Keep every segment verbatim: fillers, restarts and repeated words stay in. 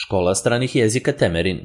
Škola stranih jezika Temerin.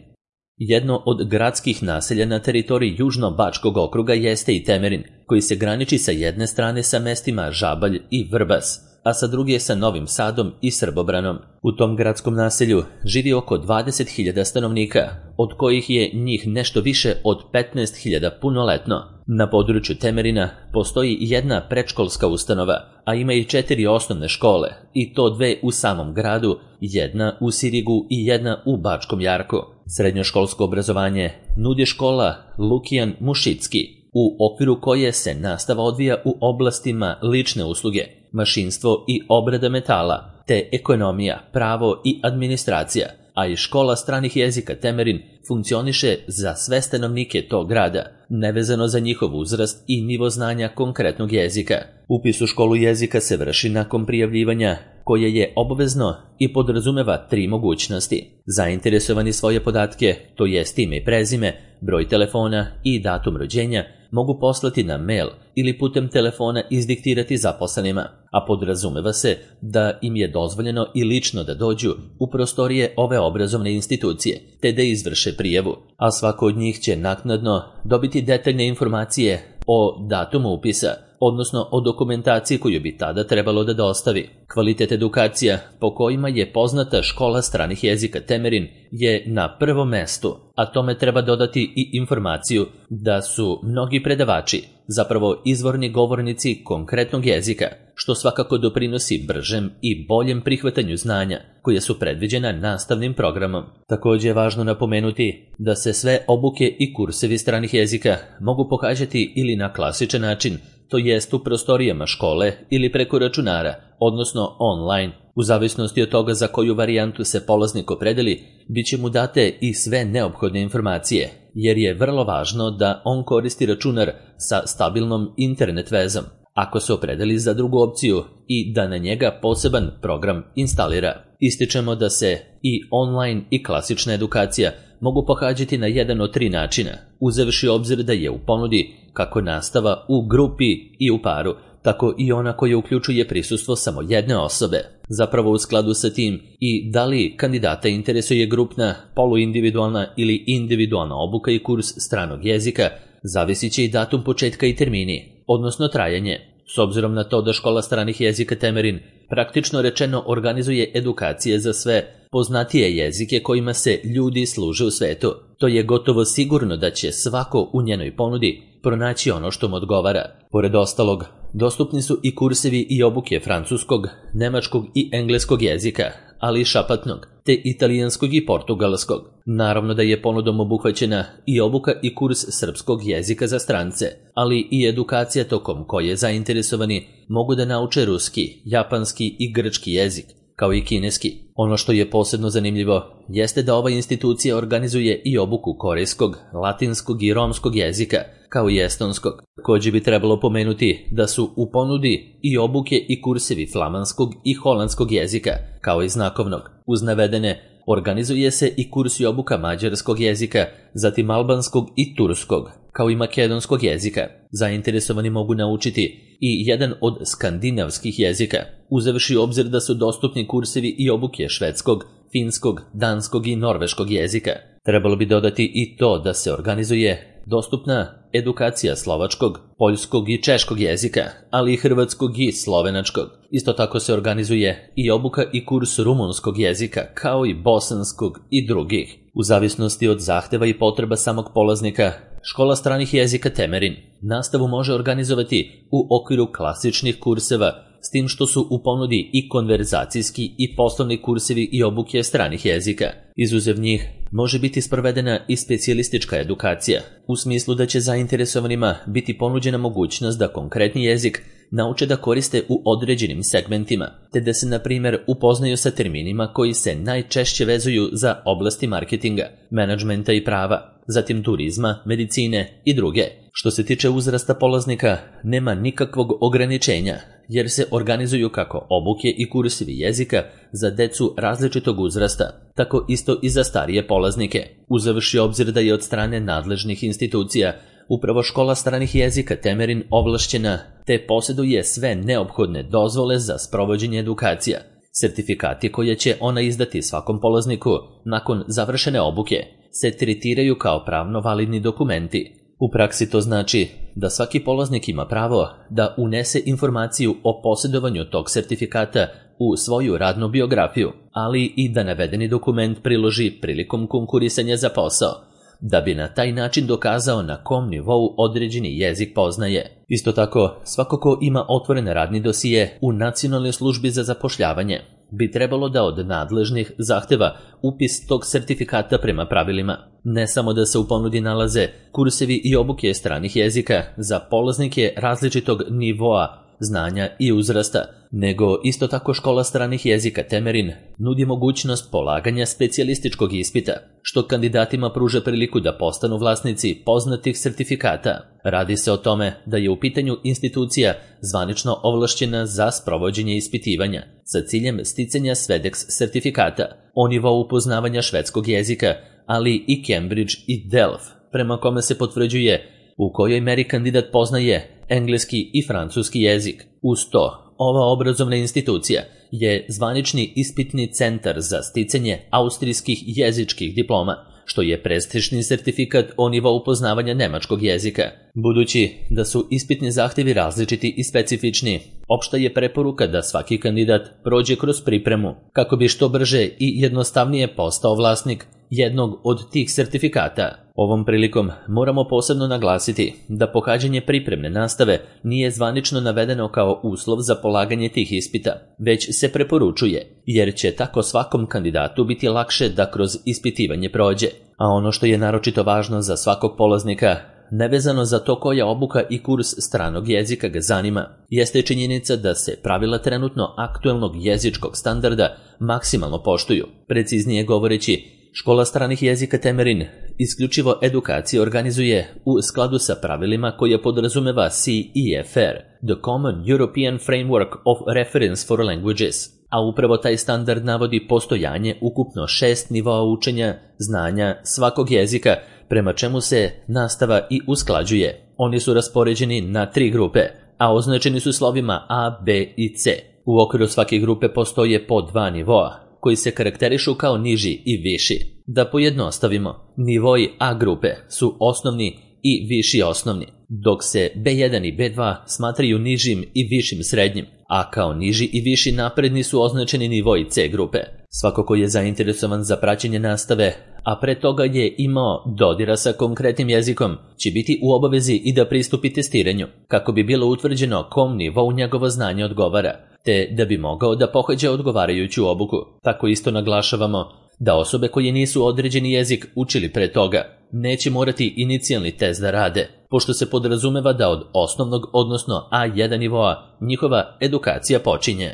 Jedno od gradskih naselja na teritoriji Južno-Bačkog okruga jeste i Temerin, koji se graniči sa jedne strane sa mestima Žabalj i Vrbas, a sa druge sa Novim Sadom i Srbobranom. U tom gradskom naselju živi oko dvadeset hiljada stanovnika, od kojih je njih nešto više od petnaest hiljada punoletno. Na području Temerina postoji jedna predškolska ustanova, a ima i četiri osnovne škole, i to dve u samom gradu, jedna u Sirigu i jedna u Bačkom Jarku. Srednjoškolsko obrazovanje nudi škola Lukijan Mušicki, u okviru koje se nastava odvija u oblastima lične usluge, mašinstvo i obrada metala, te ekonomija, pravo i administracija, a i škola stranih jezika Temerin funkcioniše za sve stanovnike tog grada, nevezano za njihov uzrast i nivo znanja konkretnog jezika. Upis u školu jezika se vrši nakon prijavljivanja, koje je obavezno i podrazumeva tri mogućnosti. Zainteresovani svoje podatke, to jest ime i prezime, broj telefona i datum rođenja, mogu poslati na mail ili putem telefona izdiktirati zaposlenima, a podrazumeva se da im je dozvoljeno i lično da dođu u prostorije ove obrazovne institucije, te da izvrše prijavu, a svako od njih će naknadno dobiti detaljne informacije o datumu upisa, odnosno o dokumentaciji koju bi tada trebalo da dostavi. Kvalitet edukacija po kojima je poznata škola stranih jezika Temerin je na prvom mestu, a tome treba dodati i informaciju da su mnogi predavači zapravo izvorni govornici konkretnog jezika, što svakako doprinosi bržem i boljem prihvatanju znanja koje su predviđena nastavnim programom. Također je važno napomenuti da se sve obuke i kursevi stranih jezika mogu pohađati ili na klasičan način, to jest u prostorijama škole ili preko računara, odnosno online. U zavisnosti od toga za koju varijantu se polaznik opredeli, bit će mu date i sve neophodne informacije, jer je vrlo važno da on koristi računar sa stabilnom internet vezom, ako se opredeli za drugu opciju, i da na njega poseban program instalira. Ističemo da se i online i klasična edukacija mogu pohađati na jedan od tri načina, uzevši obzir da je u ponudi kako nastava u grupi i u paru, tako i ona koja uključuje prisustvo samo jedne osobe. Zapravo u skladu sa tim i da li kandidata interesuje grupna, poluindividualna ili individualna obuka i kurs stranog jezika, zavisit će i datum početka i termini, odnosno trajanje. S obzirom na to da škola stranih jezika Temerin praktično rečeno organizuje edukacije za sve poznatije jezike kojima se ljudi služe u svetu, to je gotovo sigurno da će svako u njenoj ponudi pronaći ono što mu odgovara. Pored ostalog, dostupni su i kursevi i obuke francuskog, nemačkog i engleskog jezika, ali i šapatnog, te italijanskog i portugalskog. Naravno da je ponudom obuhvaćena i obuka i kurs srpskog jezika za strance, ali i edukacija tokom koje zainteresovani mogu da nauče ruski, japanski i grčki jezik, kao i kineski. Ono što je posebno zanimljivo jeste da ova institucija organizuje i obuku korejskog, latinskog i romskog jezika, kao i estonskog. Također bi trebalo pomenuti da su u ponudi i obuke i kursevi flamanskog i holandskog jezika, kao i znakovnog. Uz navedene organizuje se i kurs i obuka mađarskog jezika, zatim albanskog i turskog, kao i makedonskog jezika. Zainteresovani mogu naučiti i jedan od skandinavskih jezika, uzevši u obzir da su dostupni kursevi i obuke švedskog, finskog, danskog i norveškog jezika. Trebalo bi dodati i to da se organizuje dostupna edukacija slovačkog, poljskog i češkog jezika, ali i hrvatskog i slovenačkog. Isto tako se organizuje i obuka i kurs rumunskog jezika, kao i bosanskog i drugih. U zavisnosti od zahteva i potreba samog polaznika, škola stranih jezika Temerin nastavu može organizovati u okviru klasičnih kurseva, s tim što su u ponudi i konverzacijski i poslovni kursevi i obuke stranih jezika. Izuzev njih može biti sprovedena i specijalistička edukacija, u smislu da će zainteresovanima biti ponuđena mogućnost da konkretni jezik nauče da koriste u određenim segmentima, te da se, na primjer, upoznaju sa terminima koji se najčešće vezuju za oblasti marketinga, menadžmenta i prava, zatim turizma, medicine i druge. Što se tiče uzrasta polaznika, nema nikakvog ograničenja, jer se organizuju kako obuke i kursevi jezika za decu različitog uzrasta, tako isto i za starije polaznike. Uzevši obzir da je od strane nadležnih institucija upravo škola stranih jezika Temerin ovlašćena, te posjeduje sve neophodne dozvole za sprovođenje edukacija, Sertifikati koje će ona izdati svakom polazniku nakon završene obuke se tretiraju kao pravno validni dokumenti. U praksi to znači da svaki polaznik ima pravo da unese informaciju o posjedovanju tog sertifikata u svoju radnu biografiju, ali i da navedeni dokument priloži prilikom konkurisanja za posao, da bi na taj način dokazao na kom nivou određeni jezik poznaje. Isto tako, svako ko ima otvoren radni dosije u Nacionalnoj službi za zapošljavanje bi trebalo da od nadležnih zahteva upis tog sertifikata prema pravilima. Ne samo da se u ponudi nalaze kursevi i obuke stranih jezika za polaznike različitog nivoa znanja i uzrasta, nego isto tako škola stranih jezika Temerin nudi mogućnost polaganja specijalističkog ispita, što kandidatima pruža priliku da postanu vlasnici poznatih sertifikata. Radi se o tome da je u pitanju institucija zvanično ovlašćena za sprovođenje ispitivanja sa ciljem sticanja SVEDEX sertifikata o nivou upoznavanja švedskog jezika, ali i Cambridge i Delft, prema kome se potvrđuje u kojoj meri kandidat poznaje engleski i francuski jezik. Uz to, ova obrazovna institucija je zvanični ispitni centar za sticanje austrijskih jezičkih diploma, što je prestižni sertifikat o nivou upoznavanja nemačkog jezika. Budući da su ispitni zahtjevi različiti i specifični, opšta je preporuka da svaki kandidat prođe kroz pripremu kako bi što brže i jednostavnije postao vlasnik jednog od tih sertifikata. Ovom prilikom moramo posebno naglasiti da pohađanje pripremne nastave nije zvanično navedeno kao uslov za polaganje tih ispita, već se preporučuje, jer će tako svakom kandidatu biti lakše da kroz ispitivanje prođe. A ono što je naročito važno za svakog polaznika, nevezano za to koja obuka i kurs stranog jezika ga zanima, jeste činjenica da se pravila trenutno aktuelnog jezičkog standarda maksimalno poštuju. Preciznije govoreći, Škola stranih jezika Temerin isključivo edukacije organizuje u skladu sa pravilima koje podrazumeva C E F R, The Common European Framework of Reference for Languages, a upravo taj standard navodi postojanje ukupno šest nivoa učenja znanja svakog jezika, prema čemu se nastava i usklađuje. Oni su raspoređeni na tri grupe, a označeni su slovima A, B i C. U okviru svake grupe postoje po dva nivoa, koji se karakterišu kao niži i viši. Da pojednostavimo, nivoi A grupe su osnovni i viši osnovni, dok se B jedan i B dva smatraju nižim i višim srednjim, a kao niži i viši napredni su označeni nivoi C grupe. Svako ko je zainteresovan za praćenje nastave, a pre toga je imao dodira sa konkretnim jezikom, će biti u obavezi i da pristupi testiranju, kako bi bilo utvrđeno kom nivou njegovo znanje odgovara, te da bi mogao da pohađa odgovarajuću obuku. Tako isto naglašavamo da osobe koje nisu određeni jezik učili pre toga neće morati inicijalni test da rade, pošto se podrazumeva da od osnovnog, odnosno A jedan nivoa, njihova edukacija počinje.